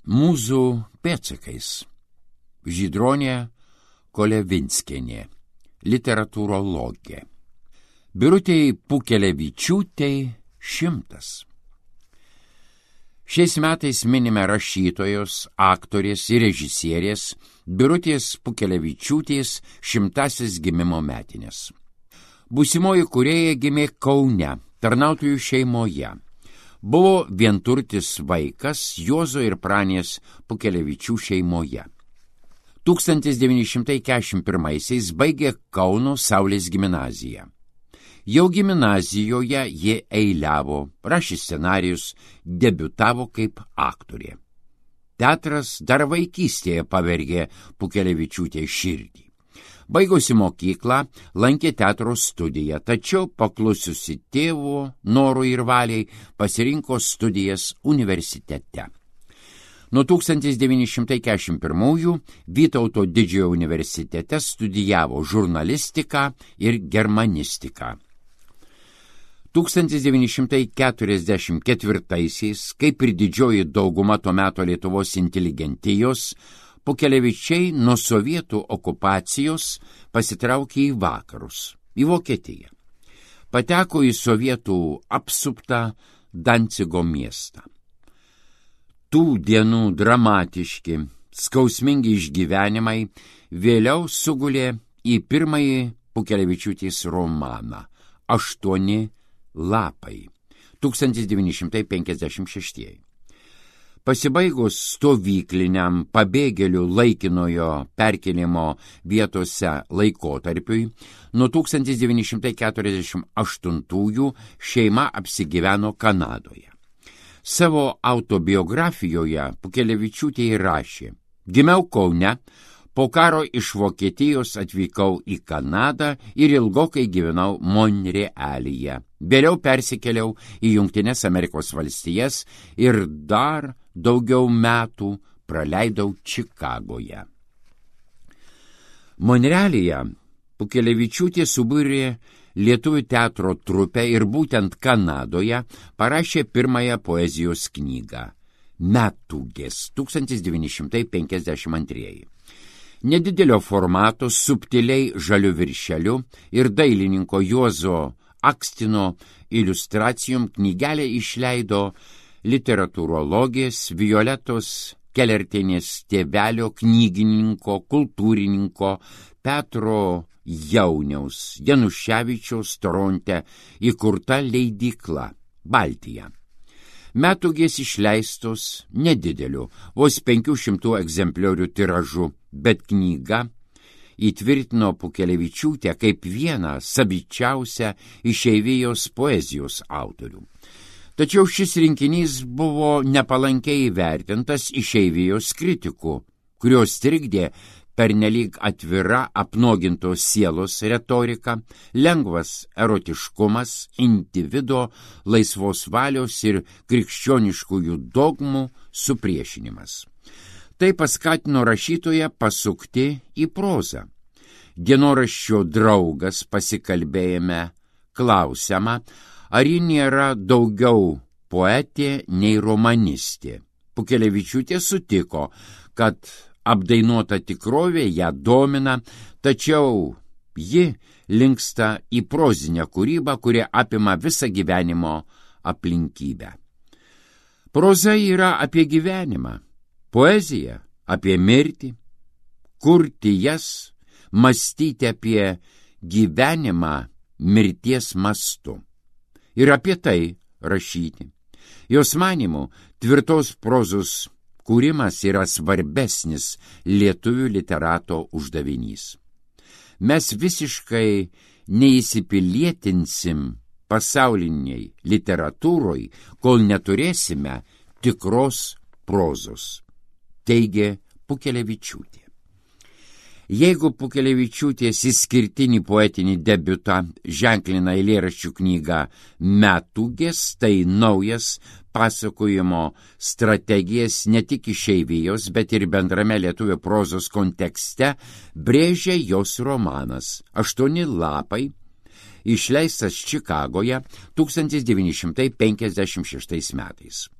Mūzų pėdsakais. Žydronė Kolevinskienė, literatūrologė. Birutei Pukelevičiūtei 100. Šiais metais minime rašytojos, aktorės ir režisierės Birutės Pukelevičiūtės 100 gimimo metinės. Būsimoji kūrėja gimė Kaune, tarnautojų šeimoje. Buvo vienturtis vaikas Juozo ir Pranės Pukelevičių šeimoje. 1941-aisiais baigė Kauno Saulės gimnaziją. Jau gimnazijoje jie eiliavo, rašė scenarijus, debiutavo kaip aktorė. Teatras dar vaikystėje pavergė Pukelevičiūtei širdį. Baigusi mokyklą, lankė teatro studiją, tačiau paklusiusi tėvo norui ir valiai pasirinko studijas universitete. Nuo 1941 Vytauto Didžiojo universitete studijavo žurnalistiką ir germanistiką. 1944-aisiais, kaip ir didžioji dauguma to meto Lietuvos inteligentijos, Pukelevičiai nuo sovietų okupacijos pasitraukė į vakarus, į Vokietiją. Pateko į sovietų apsuptą Dancigo miestą. Tų dienų dramatiški, skausmingi išgyvenimai vėliau sugulė į pirmąjį Pukelevičiūtės romaną 8 lapai 1956. Pasibaigus stovykliniam pabėgėlių laikinojo perkelimo vietose laikotarpiui, nuo 1948 šeima apsigyveno Kanadoje. Savo autobiografijoje Pukelevičiūtė rašė: gimiau Kaune, po karo iš Vokietijos atvykau į Kanadą ir ilgokai gyvenau Monrealyje. Vėliau persikėliau į Jungtines Amerikos valstijas ir dar daugiau metų praleidau Čikagoje. Monrealyje Pukelevičiūtė subūrė lietuvių teatro trupę ir būtent Kanadoje parašė pirmąją poezijos knygą Metūgės 1952. Nedidelio formato, subtiliai žaliu viršeliu ir dailininko Juozo Akstino iliustracijom knygelę išleido literatūrologės Violetos Kelertienės tėvelio knygininko, kultūrininko Petro Jauniaus Januševičiaus Toronte įkurta leidykla Baltija. Metūgės išleistos nedideliu, vos 500 egzempliorių tiražu, bet knyga įtvirtino Pukelevičiūtę kaip vieną savičiausią išeivijos poezijos autorių. Tačiau šis rinkinys buvo nepalankiai įvertintas išeivijos kritikų, kurios trikdė pernelyg atvira apnuogintos sielos retorika, lengvas erotiškumas, individo laisvos valios ir krikščioniškųjų dogmų supriešinimas. Tai paskatino rašytoją pasukti į prozą. Dienoraščio draugas pasikalbėjime klausiama, ar ji nėra daugiau poetė nei romanistė. Pukelevičiūtė sutiko, kad apdainuota tikrovė ją domina, tačiau ji linksta į prozinę kūrybą, kuri apima visą gyvenimo aplinkybę. Proza yra apie gyvenimą, poezija apie mirtį, kurti jas, mąstyti apie gyvenimą mirties mastu ir apie tai rašyti. Jos manymu, tvirtos prozos kūrimas yra svarbesnis lietuvių literato uždavinys. Mes visiškai neįsipilietinsim pasauliniai literatūroj, kol neturėsime tikros prozos, teigė Pukelevičiūtė. Jeigu Pukelevičiūtės išskirtinį poetinį debiutą ženklina eilėraščių knyga Metūgės, tai naujas pasakojimo strategijas ne tik išeivijos, bet ir bendrame lietuvių prozos kontekste brėžia jos romanas 8 lapai, išleistas Čikagoje 1956 metais.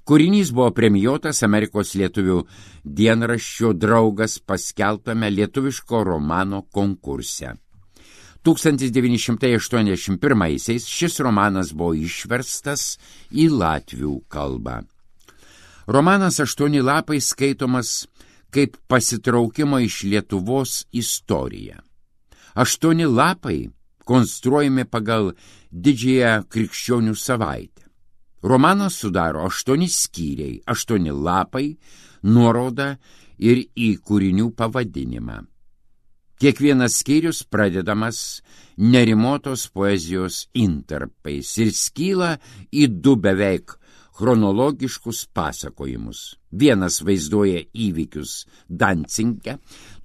Kūrinys buvo premijuotas Amerikos lietuvių dienraščio Draugas paskelbtame lietuviško romano konkurse. 1981 šis romanas buvo išverstas į latvių kalbą. Romanas 8 lapai skaitomas kaip pasitraukimo iš Lietuvos istorija. 8 lapai konstruojami pagal didžiąją krikščionių savaitę. Romanas sudaro 8 skyriai, 8 lapai, nuoroda ir į kūrinių pavadinimą. Kiekvienas skyrius pradedamas nerimotos poezijos intarpais ir skyla į 2 beveik chronologiškus pasakojimus. Vienas vaizduoja įvykius Dancinge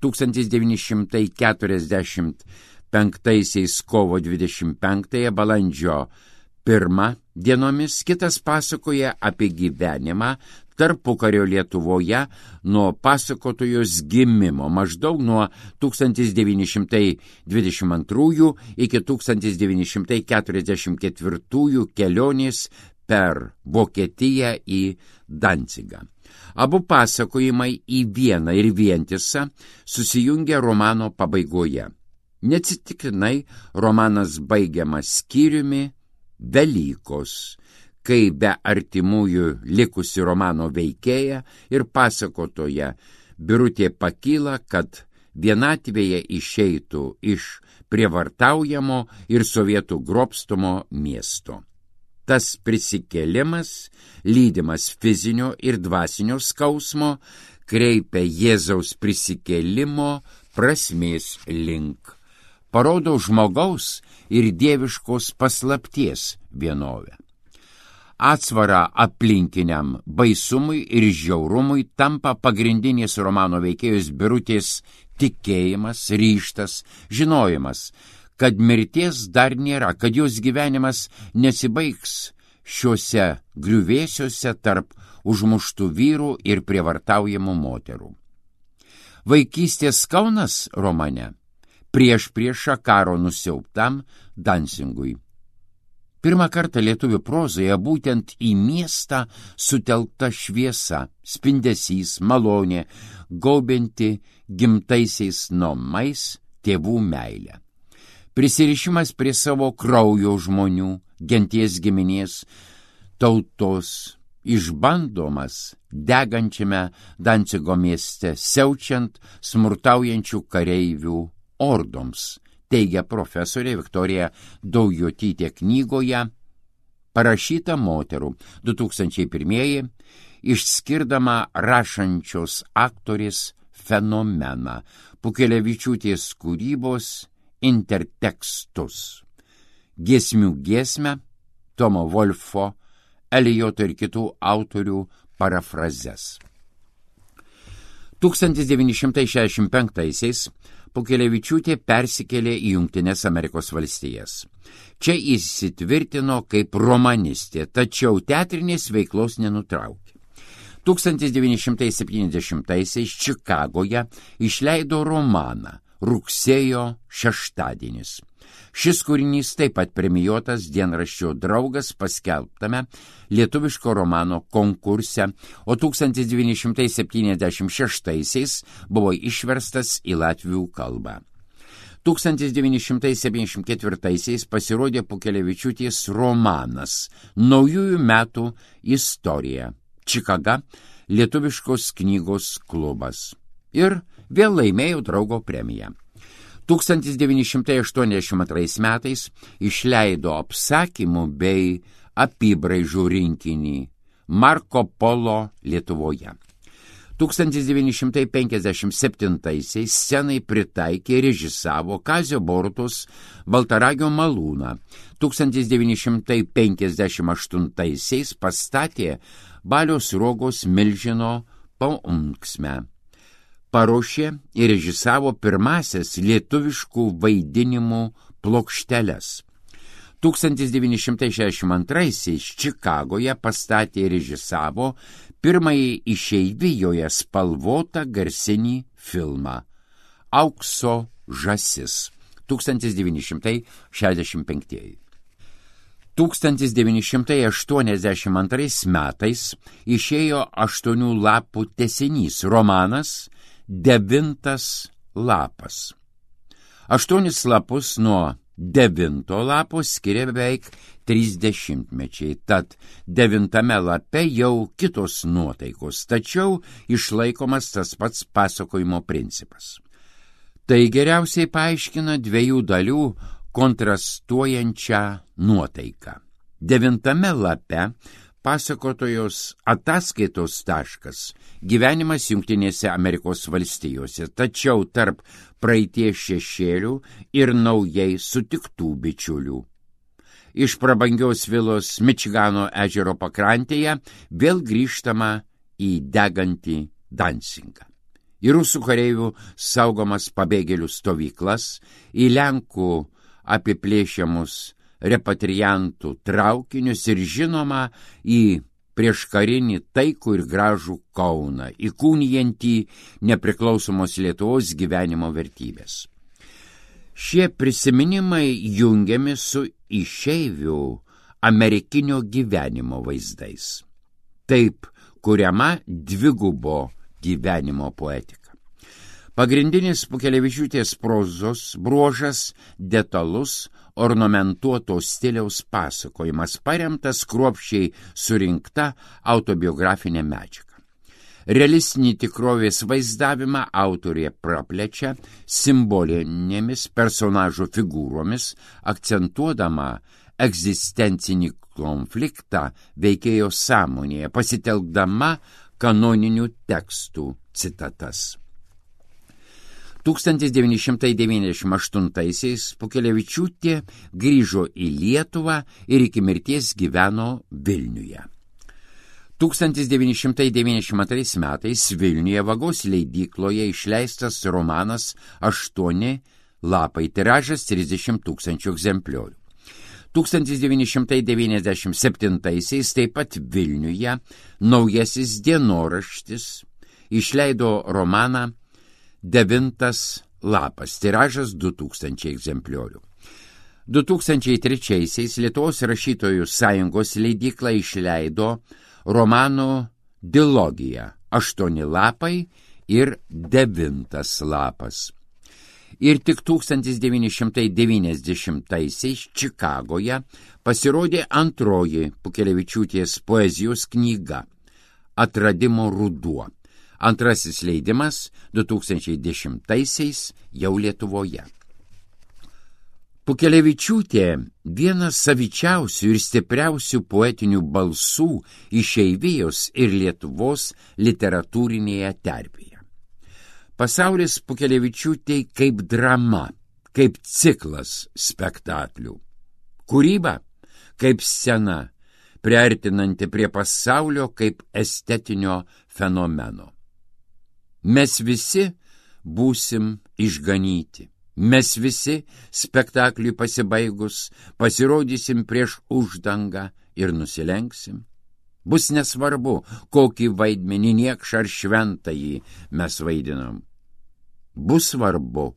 1945 kovo 25 balandžio 1 dienomis, kitas pasakoja apie gyvenimą tarpukario Lietuvoje nuo pasakotojos gimimo maždaug nuo 1922 iki 1944 kelionės per Vokietiją į Dancigą. Abu pasakojimai į vieną ir vientisą susijungia romano pabaigoje. Neatsitiktinai romanas baigiamas skyriumi Velykos, kai be artimųjų likusi romano veikėja ir pasakotoja Birutė pakyla, kad vienatvėje išeitų iš prievartaujamo ir sovietų grobstomo miesto. Tas prisikėlimas, lydimas fizinio ir dvasinio skausmo, kreipia Jėzaus prisikėlimo prasmės link. Parodo žmogaus ir dieviškos paslapties vienovę. Atsvara aplinkiniam baisumui ir žiaurumui tampa pagrindinės romano veikėjos Birutės tikėjimas, ryžtas, žinojimas, kad mirties dar nėra, kad jos gyvenimas nesibaigs šiuose griuvėsiuose tarp užmuštų vyrų ir prievartaujamų moterų. Vaikystės Kaunas romane priešprieša karo nusiaubtam Dancingui. Pirmą kartą lietuvių prozoje būtent į miestą sutelkta šviesa, spindesys, malonė, gaubianti gimtaisiais namais tėvų meilę. Prisirišimas prie savo kraujo žmonių, genties giminės, tautos, išbandomas degančiame Dancigo mieste, siaučiant smurtaujančių kareivių ordoms, teigia profesorė Viktorija Daujotytė knygoje Parašyta moterų 2001, išskirdama rašančios aktorės fenomeną, Pukelevičiūtės kūrybos intertekstus, giesmių giesmę, Tomo Wolfo, Elijoto ir kitų autorių parafrazes. 1965 Pukelevičiūtė persikėlė į Jungtines Amerikos valstijas. Čia įsitvirtino kaip romanistė, tačiau teatrinės veiklos nenutraukė. 1970 Čikagoje išleido romaną Rugsėjo šeštadienis. Šis kūrinys taip pat premijuotas dienraščio Draugas paskelbtame lietuviško romano konkurse, o 1976 buvo išverstas į latvių kalbą. 1974 pasirodė Pukelevičiūtės romanas Naujųjų metų istorija, Čikaga, lietuviškos knygos klubas. Ir vėl laimėjo Draugo premiją. 1982 metais išleido apsakymų bei apybraižų rinkinį Marko Polo Lietuvoje. 1957 scenai pritaikė ir režisavo Kazio Borutos Baltaragio malūną. 1958 pastatė Balio Sruogos Milžino paunksmę. Paruošė ir režisavo pirmasias lietuviškų vaidinimų plokšteles. 1962 Čikagoje pastatė ir režisavo pirmąjį išeivijoje spalvotą garsinį filmą Aukso žąsis 1965. 1982 metais išėjo 8 lapų tęsinys romanas Devintas lapas. 8 lapus nuo 9 lapo skiria beveik 30-mečiai, tad 9 lape jau kitos nuotaikos, tačiau išlaikomas tas pats pasakojimo principas. Tai geriausiai paaiškina 2 dalių kontrastuojančią nuotaiką. 9 lape pasakotojos ataskaitos taškas gyvenimas Jungtinėse Amerikos valstijose, tačiau tarp praeities šešėlių ir naujai sutiktų bičiulių. Iš prabangios vilos Mičigano ežero pakrantėje vėl grįžtama į degantį Dansingą. Į rusų kareivių saugomas pabėgėlių stovyklas, į Lenkų apiplėšiamus repatriantų traukinius ir žinoma į prieškarinį taikų ir gražų Kauną, įkūnijantį nepriklausomos Lietuvos gyvenimo vertybės. Šie prisiminimai jungiami su išeivių amerikinio gyvenimo vaizdais. Taip kuriama dvigubo gyvenimo poetika. Pagrindinis Pukelevičiūtės prozos bruožas detalus ornamentuoto stiliaus pasakojimas, paremtas kruopščiai surinkta autobiografinė medžiaga. Realistinį tikrovės vaizdavimą autorė praplečia simbolinėmis personažų figūromis, akcentuodama egzistencinį konfliktą veikėjo sąmonėje, pasitelkdama kanoninių tekstų citatas. 1998-aisiais Pukelevičiūtė grįžo į Lietuvą ir iki mirties gyveno Vilniuje. 1992 metais Vilniuje Vagos leidykloje išleistas romanas 8 lapai, tiražas 30 000 egzempliorių. 1997 taip pat Vilniuje Naujasis dienoraštis išleido romaną 9 lapas, tiražas 2000 egzempliorių. 2003 Lietuvos rašytojų sąjungos leidykla išleido romanų dilogiją 8 lapai ir 9 lapas. Ir tik 1990 Čikagoje pasirodė antroji Pukelevičiūtės poezijos knyga Atradimo ruduo. Antrasis leidimas 2010 jau Lietuvoje. Pukelevičiūtė vienas savičiausių ir stipriausių poetinių balsų išeivijos ir Lietuvos literatūrinėje terpėje. Pasaulis Pukelevičiūtei kaip drama, kaip ciklas spektaklių. Kūryba kaip scena, priartinanti prie pasaulio kaip estetinio fenomeno. Mes visi būsim išganyti. Mes visi spektakliui pasibaigus pasirodysim prieš uždangą ir nusilenksim. Bus nesvarbu, kokį vaidmenį, niekšą ar šventąjį mes vaidinam. Bus svarbu,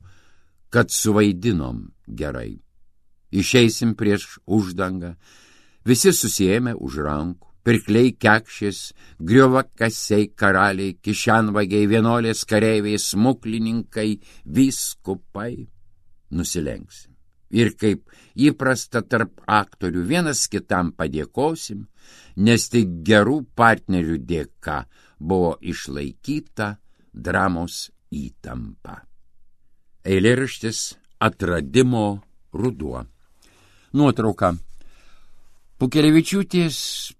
kad suvaidinom gerai. Išeisim prieš uždangą, visi susiėmę už rankų. Pirkliai kekšės, griovakasiai, karaliai, kišenvagiai, vienuolės, kareiviai, smuklininkai, vyskupai. Nusilenksim. Ir kaip įprasta tarp aktorių vienas kitam padėkosim, nes tik gerų partnerių dėka buvo išlaikyta dramos įtampa. Eilėraštis Atradimo ruduo. Nuotrauka. Pukelevičiūtės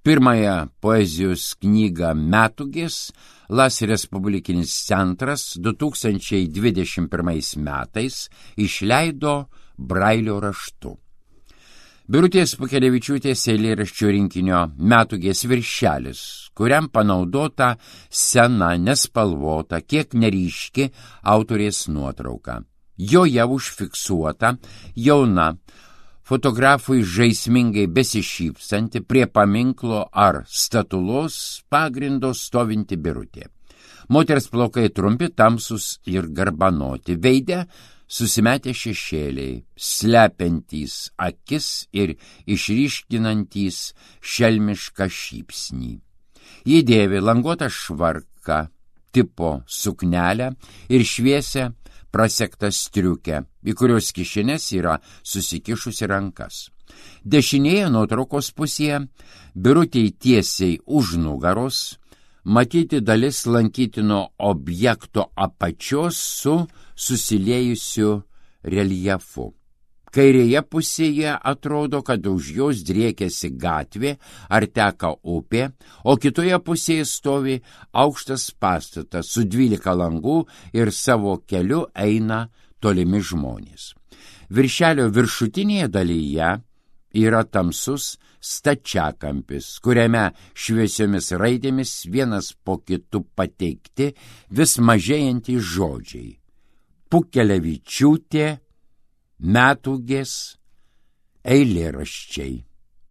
pirmąją poezijos knygą Metūgės Las Respublikinis centras 2021 metais išleido Brailio raštu. Birutės Pukelevičiūtės eilėraščių rinkinio Metūgės viršelis, kuriam panaudota sena, nespalvota, kiek neryški autorės nuotrauka. Joje užfiksuota jauna, fotografui žaismingai besišypsanti prie paminklo ar statulos pagrindo stovinti Birutė. Moters plaukai trumpi, tamsus ir garbanoti, veide susimetę šešėliai, slepiantys akis ir išryškinantys šelmišką šypsnį. Ji dėvi languotą švarką, tipo suknelę ir šviesią prasektą striukę, į kurios kišenės yra susikišusi rankas. Dešinėje nuotraukos pusėje, birutei tiesiai už nugaros, matyti dalis lankytino objekto apačios su susiliejusiu reljefu. Kairėje pusėje atrodo, kad už jos driekiasi gatvė ar teka upė, o kitoje pusėje stovi aukštas pastatas su 12 langų ir savo keliu eina tolimi žmonės. Viršelio viršutinėje dalyje yra tamsus stačiakampis, kuriame šviesiomis raidėmis vienas po kitu pateikti vis mažėjantys žodžiai. Pukelevičiūtė, Metūgės, eilėraščiai.